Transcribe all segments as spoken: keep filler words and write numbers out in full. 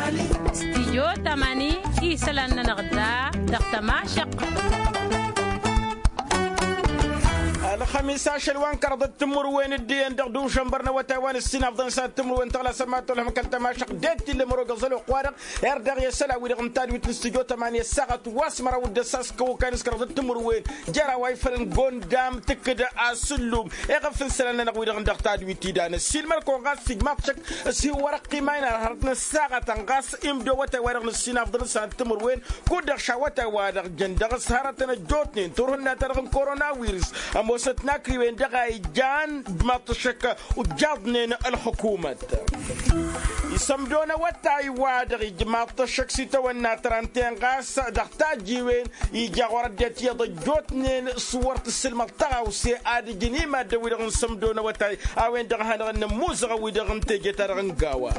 Stijyo tamani isălan-nănăɣ da dăɣ-tămašăq. Ălxămis ašăl wa n-kăraḍăt timǝrwen d-iyyăn dăɣ-dušănbăr n-awătay wa n-ǝssinafḍăn s-ad-timǝrwen tăɣlasăm ma tolhăm kăl-tămašăq d-e-t-illa mărogăẓ ălwăqq-wa-dăɣ. Erdăɣ i-asălan-wi-dăɣ n-tadwit n-stijyo tamani ăssaɣăt wa s-măraw d-ăssaskăw okayăn s-kăraḍăt timǝrwen jer-a-wa ifălăn gondam tǝkkǝd asǝllum. Eɣăf n-isălan-nănăɣ-wi-dăɣ n-dăɣ-tadwit idan ăssiilmăr-kăwăn ɣas s-ijmaḍ šăkk s-hi-wărăqq iman ar hărăt n-ăssaɣătăn ɣas imdo awătay-wa-dăɣ n-ăssinafḍăn s-ad-timǝrwen. Kud-dăɣ š-awătay-wa-dăɣ jăn dăɣ-s hărătăn ăjjootnen turhǝnna-ta-dăɣ n-korona wirǝs ămoosnăt n-akriwen dăɣ-a ijan d-maḍt ăššăk ujjaḍnen ălxukumăt. Isămdo n-awătay-wa-dăɣ ijmaḍ-t ăššăk s-itawănna tărănten ɣas dăɣ-tajiwen ija ɣur-ăddinăt iyyăḍ ăjjootnen s-wăr t-ǝssǝlmăḍ tăɣawse ad-ǝjǝn i-maddǝn-wi-dăɣ n-sămdo n-awătay a-wen-dăɣ a hanăɣ-ănnămmuzăɣ wi-dăɣ n-teje-ta-dăɣ n-gawa.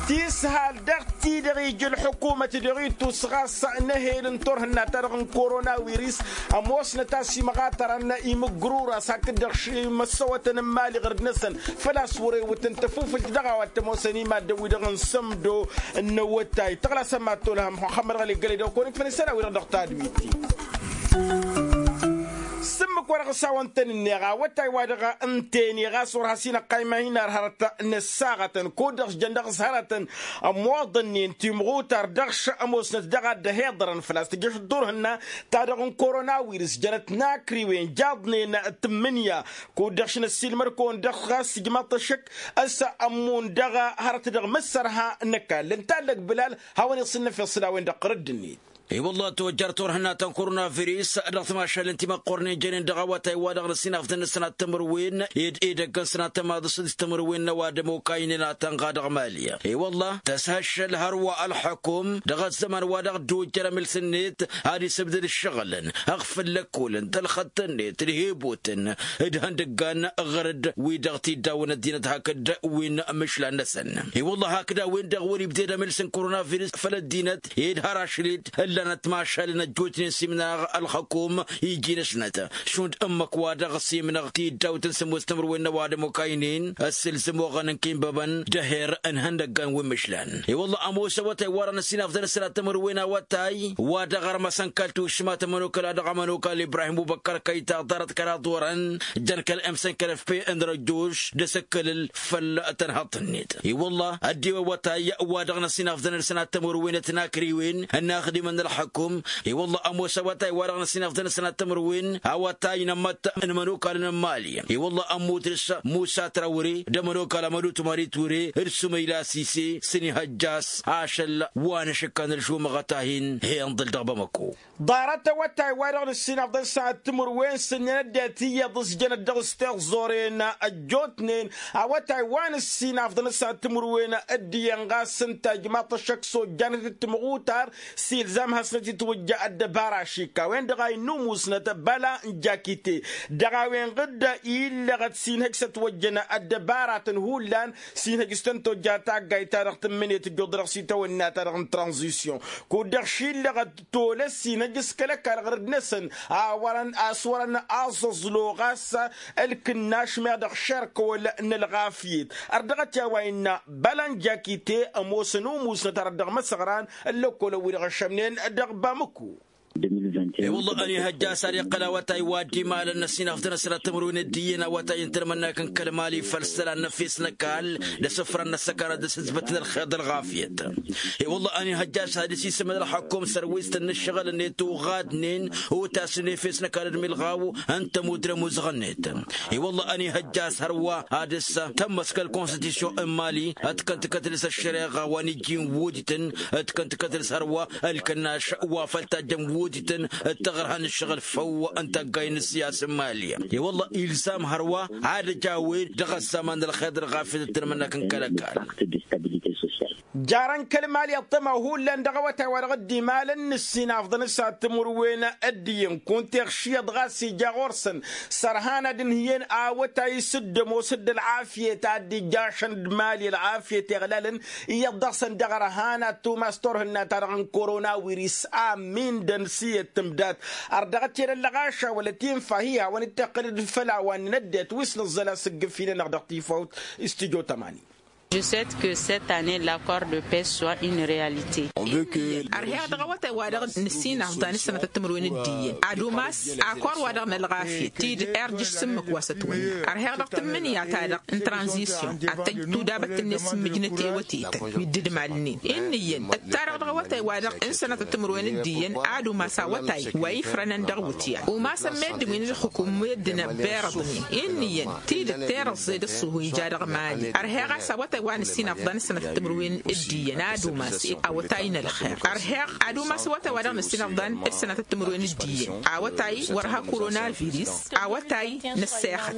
Tishal dăɣ-ti-dăɣ ija ălḥukumăt dăɣ-itus ɣas n-ehel n-turhǝnna-ta-dăɣ n-korona wirǝs ămoosnăt a-s imɣatărăn imǝgrura s-hakd-dăɣ ši-imăssăwătăn n-imali ɣǝrǝd-năsăn. Făl-a-s wăr-ewǝtăn tăfufǝlt dăɣ-a-wa t-ămoosăn i-maddǝn-wi-dăɣ n-sămdo n-awătay tăɣlasăm mad-tolhăm muxămmăd ɣăli gălăy d-okăwăn-ikfăn isălan-wi-dăɣ dăɣ-tadwit-i. S-ǝmmǝk wa dăɣ-s hawăn-tăn-ǝnneɣ awătay-wa-dăɣ ǝnta-en i-ɣas wăr has-inăqqa iman-in ar hărăt n-ăssaɣătăn kud-dăɣ s-jăn dăɣ-s hărătăn ămmoḍănnen timɣutar dăɣ-š ămoosnăt dăɣ-ad-dd-ăhiḍărăn făl-a-s tǝjjăš turhǝnna-ta-dăɣ n-korona wirǝs jănăt n-akriwen jaḍnen tǝmmǝnǝya. Kud-dăɣ š-năssiilmăr-kăwăn dăɣ-ɣas ijmaḍ-t ăššăk a-s ămmun dăɣ-hărăt dăɣ-mǝssărha n-ăkall ǝnta ăllăg bǝlal. Hawăn-iṣǝnnăfeḍ s-dd-a-wen-dăɣ ɣur-ăddinit. I-wălla tojjăr turhǝnna ta n-korona virus dăɣ-timašalen timăqqornen jănen dăɣ-awătay-wa-dăɣ n-ăssinafḍăn n-sănat timǝrwen ed edăgg n-sănat tămaḍǝst d-timǝrwen n-ăwadǝm okaynen a tănɣa dăɣ-mali. I-wălla tăshăššăl hărwa ălxukum dăɣ-ăzzăman wa dăɣ-dd-ojjăr amǝls-net ad-isǝbdăd ǝššăɣǝlăn ăɣfǝl lăkkolăn tălxăḍt-net d-hebotăn d-ihăndăggan ɣărăd-wi-dăɣ t-iddawăn ăddinăt hakd wi n-imǝšlan-năsăn. I-wălla hakd a-wen-dăɣ wăr-ibded amǝls n-korona virus făll-ăddinăt ed har ašăl-dd ǝllanăt timašalen ăjjootnen s-imnaɣ ălxăkum iji-năsnăt šund ǝmmǝk-wa-dăɣ s-imnăɣ tiddawt n-sǝmmos timǝrwen n-ăwadǝm okaynen ăssǝlzăm oɣăn n-kinbăbăn d-eher n-ihăndăggan wi n-imǝšlan. I-wălla ămoos awătay-wa-dăɣ n-ăssinafḍăn ăssinat timǝrwen awătay wa dăɣ-armăsăn kăl-tušmat ămănokăl a dăɣ-ămănokal ibrahim ubăkkăr kăyta ḍarăt kăraḍ wărăn jăn kăl-emsăn kăl-efpe n-răjjoš d-asǝkkălăl făll-tănhăḍt-net. I-wălla ăddiwăn awătay wa dăɣ-năsinafḍăn ălsănat tămărwen ătnakriwen ănnaxdimăn n-ălxăkum. I-wălla ămoos awătay wa dăɣ-năsinafḍăn ălsănat tămărwen awătay n-ămmăt n-imănokalăn n-mali. I-wălla ămmut dăr-s musa trawre d-ămănokal amădut mari ture d-sumăyla sise s-inihăjja a-s ašăl wa n-ašǝkkan ălšumăɣăt a hin-he-ǝnḍǝl dăɣ-bamăko. Ḍarăt awătay wa dăɣ-nǝssinafḍăn s-ad-timǝrwen s-ǝnniyăn ăddinăt iyyăḍ s-jănăt dăɣ-s tiẓẓoren ăjjootnen. Awătay wa nǝssinafḍăn s-ad-timǝrwen dd-iyyăn ɣas ǝnta ijmaḍ-t ăššăk s-ojjanăt d-timɣutar s-ilzam hasnăt-itwǝjja ăddăbara ašikka a-wen-dăɣ a innă umusnăt băla n-jakite. Dăɣ-a-wen-dăɣ dd-illăɣăt s-inhăj s-ătwăjjăn ăddăbaratăn hullan s-inhăj s-tăn-tojja taggayt-ta-dăɣ tǝmmǝnet ǝjjuḍ-dăɣ s-itawănna-ta-dăɣ n-tranzisyon. Kud-dăɣ šillăɣăt tolăs inăjjǝs kăl-ăkall ɣărăd-năsăn a wărăn a-s wărăn aẓăẓlo ɣas ălkǝnnaš meɣ dăɣ-šerkăwăl n-ălɣafyet. Ărdăɣăt i-a-wa innă băla n-jakite ămoosăn umusnăt arăt dăɣ-imăsăɣran n-lăkkolăn-wi-dăɣ ăššămnen dăɣ-bamăko. E-wălla ănihăjja a-s ad-iqqăl awătay wa dd-imalăn n-ăsinafḍăn ăsănat timǝrwen dd-iyyăn awătay n-tălmănnak n-kăl-mali făll-isălan n-efes n-ăkall d-asǝfran n-ăssăkanăt d-asǝzbăt n-ălxeḍ ălɣafyăt. E-wălla ănihăjja a-s ad-dăr-s isǝmǝd ălxăkkum sărwistăn n-ǝššăɣǝl-net uɣadnen utasnen efes n-ăkall d-milɣaw n-tămut d-ămuzăɣ-net. E-wălla ănihăjja a-s hărwa ad-dăr-s tămmăs kăl-konstitusyon n-mali ătkăn-t kătăl-s ăššăreɣa wa n-ijjin wutităn ătkăn-t kătăl-s hărwa ălkănnaš wa făl tajjăn wutităn d-taɣărha n-ǝššăɣǝl făw n-taggayen n-ǝssiyas n-mali. E-wălla ilzam hărwa ad-ăj a-wen dăɣ-ăzzaman n-ălxeḍ ălɣafyăt d-tălmănnak n-kăl-ăkall. Jarăn kăl-mali ăṭṭăma hullan dăɣ-awătay wa dăɣ-dd-imalăn n-ǝssinafḍăn s-ad-timǝrwen dd-iyyăn kunta iɣš iyyăḍ ɣas ija ɣur-săn sărhan ad-ǝnhǝyăn awătay s-dd-ămoos dd-ălɣafyăt ad-dd-ijjašăn d-mali ălɣafyăt iɣlalăn iyyăḍ dăɣ-săn dăɣ-ărhan ad-tumas turhǝnna-ta-dăɣ n-korona wirǝs a ǝmmindăn s-iyyăt tǝmdat. Ărdăɣăt i-ad-ăllăɣaša wăla tinfa hi-hawăn-dd-tiqqǝlăd făll-a-wa ǝnnăn ăddinăt wi s-nǝẓẓăl asǝggǝf-i-nănăɣ dăɣ-tifawt. Studyo tămani. Je souhaite que cette année l'accord de paix soit une réalité. Ărheɣ dăɣ-awătay-wa-dăɣ nǝssin afḍan s-sănătăt timǝrwen d-iyyăn ad-umas akor-wa-dăɣ n-ălɣafyăt tidǝt irjǝš s-ǝmmǝk wa s-ătwănna. Ărheɣ dăɣ-tǝmmǝnǝya-ta-dăɣ n-tranzisyon ad-tăjj tudabăt-net s-imǝjnăt i-awătetăn wi dd-idmalnen. Inn'-iyyăn ǝttarăɣ dăɣ-awătay-wa-dăɣ n-sănătăt timǝrwen d-iyyăn ad-umas awătay wa ifrănăn dăɣ-iwǝtyan umasăn meddǝn wi n-ǝlxǝkum meddǝn ăbbirăḍnen. Inn'-iyyăn tidǝt terăẓẓe d-ăṣṣuhu ija dăɣ-mali. Ărheɣ a-s awătay wa nǝssin afḍan s-sănătăt timǝrwen d-iyyăn ad-umas awătay n-ălxer. Ărheɣ ad-umas awătay wa dăɣ-nǝssin afḍan s-sănătăt timǝrwen d-iyyăn awătay wăr ha-koronavirus. Awătay n-ăssexăt.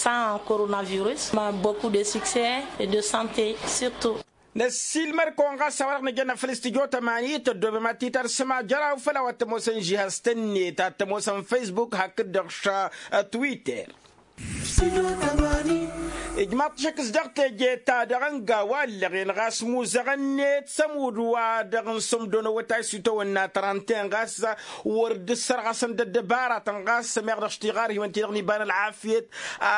Sans coronavirus ma beaucoup de succès et de santé surtout. Năssiilmăr-kăwăn ɣas a-wa-dăɣ nǝjănna făll-s tijot ămanit ăddoobem ad-t-tărsǝm ajăraw făll-a-wa t-ămoosăn žihaz-tăn-net ad-t-ămoosăn facebook hakd-dăɣ š-twitter. Ijmaḍ-t šăkk s-dăɣ teje-ta-dăɣ ănga wa ǝllăɣen ɣas muzăɣăn-net s-ămudd-wa-dăɣ n-sămdo n-awătay s-itawănna trente-un ɣas wăr dd-ǝssărɣăsăn d-ăddăbaratăn ɣas ămeɣ dăɣ-s tiɣarhiwăn-ti-dăɣ n-iba n-ălɣafyăt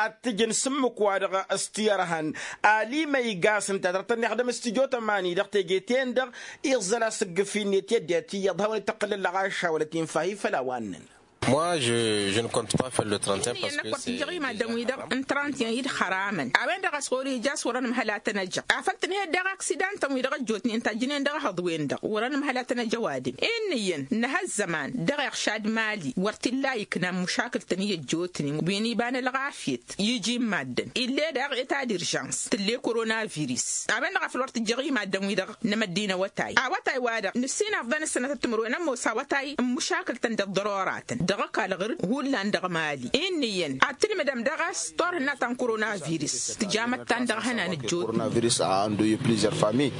ad-t-ǝjǝn s-ǝmmǝk-wa-dăɣ s-tiyărhan. Ali ma iga-s ǝnta a dăɣ-tăn-ixdăm s-tijot ămani dăɣ-teje-ten-dăɣ iẓăl asǝggǝf-i-net i-ăddinăt iyyăḍ hawăn-dd-tăqqǝlăn lăɣašawălăt infa-hi făll-a-wa ǝnnăn. Moi je je ne compte pas făll-le trente-un. Ǝnnăn ăkk wăr t-ijăɣ imaddăn-wi-dăɣ n-trente-un i-dd-xăramăn a-wen-dăɣ a-s ɣur-ija a-s wăr-ănn ǝmhăl ad-tăn-ăjăɣ afăl tǝnhăyăt daɣ aksidan-tăn-wi-dăɣ ăjjootnen tajǝnen dăɣ-ehăḍ-wen-dăɣ wăr-ănn ǝmhăl ad-tăn-ăj ăwadǝm. Inn'-iyyăn nǝha ăzzăman dăɣ-iɣšad mali wăr t-illa ikna n-mušakǝl-tăn i-ăjjootnen wi n-iba n-ălɣafyăt iji n-maddǝn ill'-e daɣ eta d-irjans tǝll'-e koronavirus. A-wen-dăɣ a făl wăr tǝjjăɣ i-maddǝn-wi-dăɣ n-emăddi n-awătay awătay-wa-dăɣ nǝssin afḍăn s-sănătăt timǝrwen ămoos awătay n-mušakǝl-tăn d-ăḍḍărora-tăn dăɣ-ăkall ɣǝr-dd hullan dăɣ-mali. Inn'-iyyăn ad-tǝlmǝdăm daɣ a-s turhǝnna ta n-koronavirus tǝja măttan dăɣ-ehănan ăjjootnen.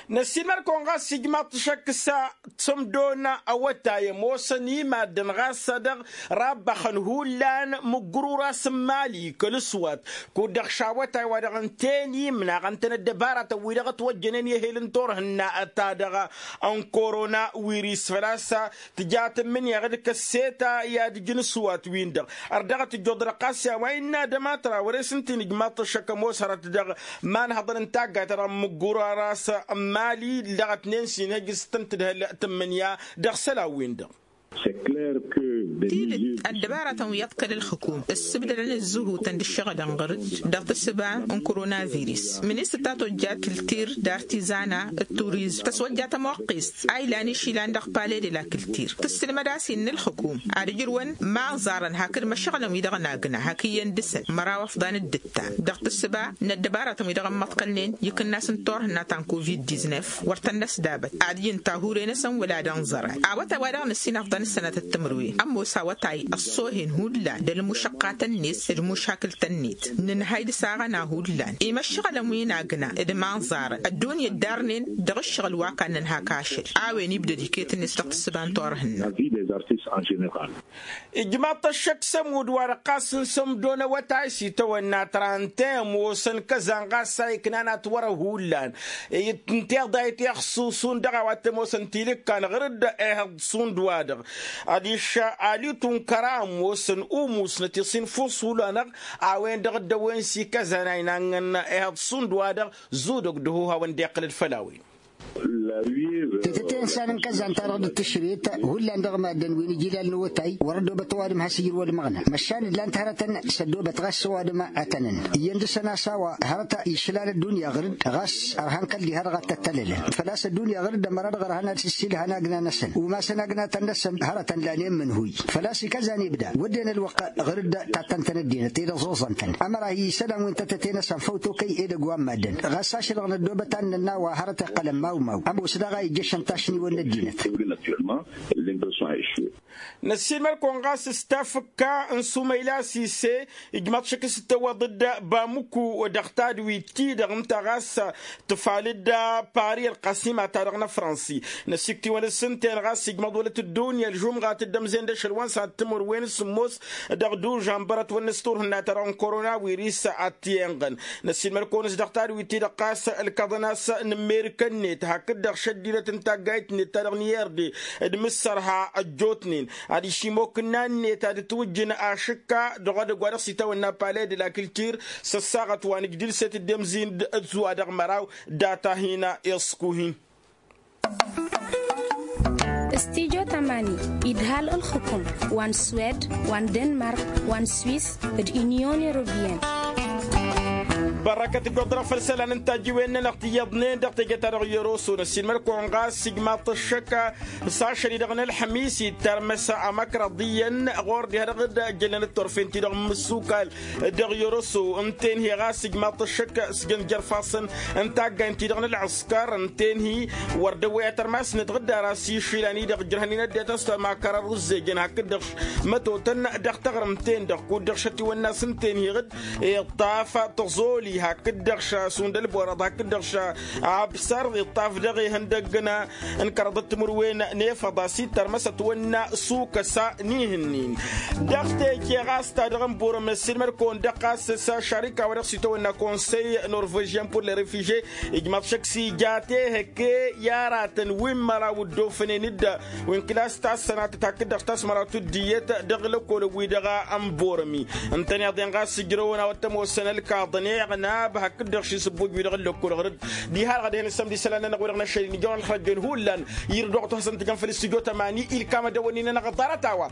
Năssiilmăr-kăwăn ɣas ijmaḍ-t šăkk s-sămdo n-awătay ămoosăn i-maddǝn ɣas dăɣ-rabbăxăn hullan mǝggǝr uras n-mali kăl-ǝswat kud-dăɣ šawătay wa dăɣ-ǝnta i-imnaɣăn-tăn ăddăbaratăn-wi-dăɣ ătwăjjănen i-ehel n-turhǝnna ta-dăɣ n-korona wiris făl-a-s tǝja tǝmmǝnǝya ɣǝd kăsseta i-ad-ǝjǝn ǝswat-win-dăɣ. Ărdăɣăt ǝjjuḍ-dăɣ ɣas i-a-wa innă ad-ămatra wăr-e s-ǝnta inǝjmaḍ-t ăššăk ămoos hărăt dăɣ-imanhăḍăn n-taggayt-ta-dăɣ n-mǝggura ras n-mali dăɣ-ătnen s-inhăj s-tăn-tǝdhǝl tǝmmǝnǝya dăɣ-isălan-win-dăɣ. Tidǝt ăddăbaratăn wi iḍkăl ǝlxǝkum ǝssǝbdălăn ǝzzǝhutăn d-ǝššăɣǝlăn ɣur-dd dăɣ-tǝssǝba n-koronavirus ministăr ta tojja kǝltir d-artizana d-turizm tăswăjja tămoqqist a ilan išilan dăɣ-pale de la kǝltir tǝssǝlmăd a-s innă ǝlxǝkum ad-ǝjrǝwăn imanẓarăn hakd imăššăɣǝlăn wi-dăɣ n-agna hak iyyăn dăɣ-săn măraw ăfḍan d-ǝttan dăɣ-tǝssǝba n-ăddăbaratăn wi-dăɣ ămmăḍkălnen ikǝnnas n-turhǝnna ta n-covid-diznef wăr tăn-năsdabăt ad-ǝjǝn tahure-năsăn wăla d-ănẓăran. Awătay wa dăɣ-năssin afḍăn s-sănatăt timǝrwen ămoos awătay ăṣṣoohen hullan d-ălmušăqqatăn-net d-mušakǝltăn-net nǝnhăy d-saɣăna hullan imăššăɣǝlăn wi n-agna d-imanẓarăn ăddunya ǝddarnen dăɣ-ǝššăɣǝl wa kannăn hak ašăl. A-wen ibdăd iket-net dăɣ-tǝssǝba n-turhǝnna. Ijmaḍ-t ăššăk s-ămudd wa-dăɣ ɣas n-sămdo n-awătay s-itawănna trante ămoosăn kăzan ɣas a iknan atwărăw hullan. Ǝnta iḍa itiɣ s-usun dăɣ-a-wa t-ămoosăn tilǝkkan ɣur-dd ehăḍ šund-wa-dăɣ adiš alitu n-kăra ămoosăn umusnăt iṣin fus hullan-ăɣ. A-wen-dăɣ dd-ăwwen s-ikăzan a inanɣăn ehăḍ šund-wa-dăɣ zudăg d-ăhuhawăn dd-iqqǝlăd făll-a-wen. Tetăte n-isan n-kăzzan-ta-dăɣ d-tǝšret hullan dăɣ-maddǝn wi n-ijilal n-awătay wăr-ăddoobăt ăwadǝm has-ijrǝw ălmăɣna măšan ǝllan-t hărătăn s-ăddoobăt ɣas ăwadǝm ătănăn iyyăn dăr-săn a-s a-wa hărăt išlal ăddunya ɣur-dd ɣas ărhan kăl-diha-dăɣ ad-tăttălălăn făl-a-s ăddunya ɣur-dd ămăra-dăɣ ărhan ad-sǝssilhan agna-năsăn umasăn agnatăn-năsăn hărătăn lanen mǝnhuy. Făl-a-s ikăzan ibda wădden ălwăqq ɣur-dd tattăn-tăn ăddinăt ed ăẓuẓăn-tăn ămăra hi-isălan wi n-tătăte-năsăn făw tokăy edăgg wa n-maddǝn. Ɣas ašăl-dăɣ n-ăddoobăt ad-nǝnna a-wa hărăt iqqălăn mawmaw ămoos daɣ a ijjăšăn tašniwăn n-ăddinăt. Năssiilmăd-kăwăn ɣas s-tafǝkka n-sumăyla sise ijmaḍ šăkk s-tăwwăḍ-dd bamǝku dăɣ-tadwit-ti-dăɣ ǝnta ɣas tǝfal-dd pari ălqăsima-ta-dăɣ n-afrănsi. Năsiktiwăn s-ǝnta-en ɣas ijmăḍ wălăt ăddunya ălžumɣa tǝddămzen d-ašăl wa n-sănat timǝrwen s-sǝmmos dăɣ-dužanbăr ătwănnăs turhǝnna-ta-dăɣ n-korona wiris ad-t-yenɣăn. Năssiilmăd-kăwăn s-dăɣ tadwit-ti-dăɣ ɣas ǝlkăḍăn a-s n-amerika-net hakd-dăɣ šăddinăt n-taggayt-net ta dăɣ-n-i-erde d-imǝssăr. Ăjjootnen ad-išimokǝnna-net ad-ǝtwǝjjǝn ašǝkka dăɣ-edăgg wa dăɣ-s itawănna pale de la kiltir s-ăssaɣăt wa nǝjdǝl s-e-tǝddemzin d-ăzzuwa dăɣ-măraw. Data hin-iṣkuhin. Studyo tamani idhal ǝlxǝkum wa n-swed wa n-denmark wa n-swis d-inyon europiyăn. Bărrăkăt ǝggoḍ-dăɣ făll-isălan n-tajǝwen-nănăɣ ti iyyăḍnen dăɣ-teje-ta-dăɣ i-oroso năssiinmăr-kăwăn ɣas ijmaḍ-t ăššăk s-ašăl-i-dăɣ n-ălḥămis ittărmăs amăkrăḍ iyyăn ɣur-dd iha dăɣ-dd-jălnăn d-turfen-ti-dăɣ n-imǝssukal dăɣ-i-oroso. Ǝnta-en hi-ɣas ijmaḍ-t ăššăk s-jăn jer-ifassăn n-taggayn-ti-dăɣ n-ălɣǝskăr ǝnta-en hi-wăr dăwwăy atărmas-net ɣǝddar a-s išilan-i-dăɣ ǝjrăhăn-in ăddinăt a-s măkarăn rǝzzejăn hakd-dăɣ mătotăn dăɣ-taɣrǝmt-en-dăɣ kud-dăɣ šătiwănna s-ǝnta-en hi-ɣǝd iṭṭaf tăẓoli hakd-dăɣ šasund ălborăḍ hakd-dăɣ šabsăr iṭṭaf dăɣ-ihăndăgg n-kăraḍăt timǝrwen n-efăḍ a-s ittărmăs ătwănna s-ukăsa n-ihǝnnin. Dăɣ-teje ɣas ta dăɣ-n burăm ăssiilmăd-kăwăn dăɣ-ɣas s-ašarika wa dăɣ-s itwănna konsey norvežyăn pur le refiže ijmaḍ šăkk s-ija tehăkke i-aratăn wi n-măraw dd-ofănen d-wi n-klas ta s-sănatăt hakd-dăɣ s-tasmăraw tuddiyyăt dăɣ-lăkolăn-wi-dăɣ. N-burăm-i ǝntăneḍ-en ɣas ǝjrăwăn a-wa t-ămoosăn ălkaḍăn iɣnab hakd-dăɣ šisǝbbuj-wi-dăɣ ǝllăkol ɣǝr-dd diha-dăɣ ad-ehăn ǝssămd isălan-nănăɣ-wi-dăɣ n-ašăl-in ijăwăn ălxărăjjăn hullan. Irǝd wa t-hasăn-tǝjăn făll-s tijot ămani ilkam ad-ăwănnin-nănăɣ ḍarăt a-wa.